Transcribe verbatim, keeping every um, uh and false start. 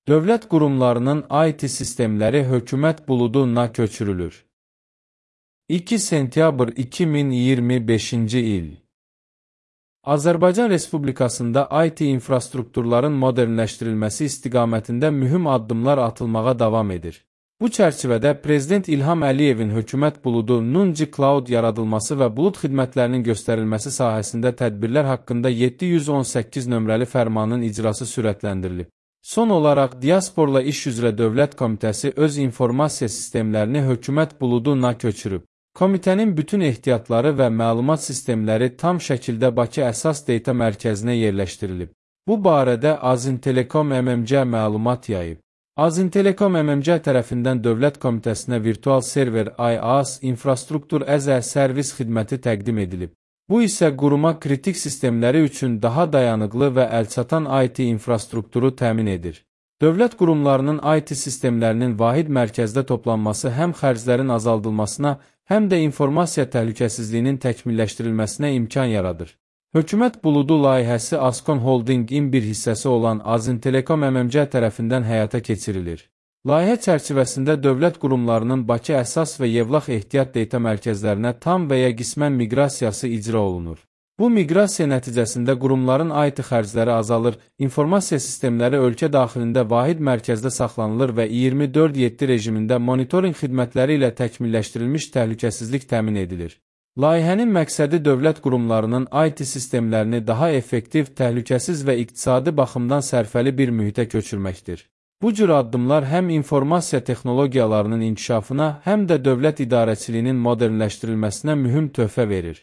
Dövlət qurumlarının I T sistemləri hökumət buluduna köçürülür. iki sentyabr iki min iyirmi beşinci il. Azərbaycan Respublikasında I T infrastrukturların modernləşdirilməsi istiqamətində mühüm addımlar atılmağa davam edir. Bu çərçivədə Prezident İlham Əliyevin hökumət buludu Nunci Cloud yaradılması və bulud xidmətlərinin göstərilməsi sahəsində tədbirlər haqqında yeddi yüz on səkkiz nömrəli fərmanın icrası sürətləndirilib. Son olaraq Diasporla İş üzrə Dövlət Komitəsi öz informasiya sistemlərini hökumət buluduna köçürüb. Komitənin bütün ehtiyatları və məlumat sistemləri tam şəkildə Bakı Əsas Data Mərkəzinə yerləşdirilib. Bu barədə Azintelekom M M C məlumat yayıb. Azintelekom M M C tərəfindən Dövlət Komitəsinə virtual server I A S infrastruktur as a servis xidməti təqdim edilib. Bu isə quruma kritik sistemləri üçün daha dayanıqlı və əlçatan I T infrastrukturu təmin edir. Dövlət qurumlarının I T sistemlərinin vahid mərkəzdə toplanması həm xərclərin azaldılmasına, həm də informasiya təhlükəsizliyinin təkmilləşdirilməsinə imkan yaradır. Hökumət buludu layihəsi Ascon Holdingin bir hissəsi olan Azintelekom M M C tərəfindən həyata keçirilir. Layihə çərçivəsində dövlət qurumlarının Bakı əsas və Yevlax ehtiyat data mərkəzlərinə tam və ya qismən miqrasiyası icra olunur. Bu miqrasiya nəticəsində qurumların I T xərcləri azalır, informasiya sistemləri ölkə daxilində vahid mərkəzdə saxlanılır və iyirmi dörd yeddi rejimində monitorinq xidmətləri ilə təkmilləşdirilmiş təhlükəsizlik təmin edilir. Layihənin məqsədi dövlət qurumlarının I T sistemlərini daha effektiv, təhlükəsiz və iqtisadi baxımdan sərfəli bir mühitə köçürməkdir. Bu cür addımlar həm informasiya texnologiyalarının inkişafına, həm də dövlət idarəçiliyinin modernləşdirilməsinə mühüm töhfə verir.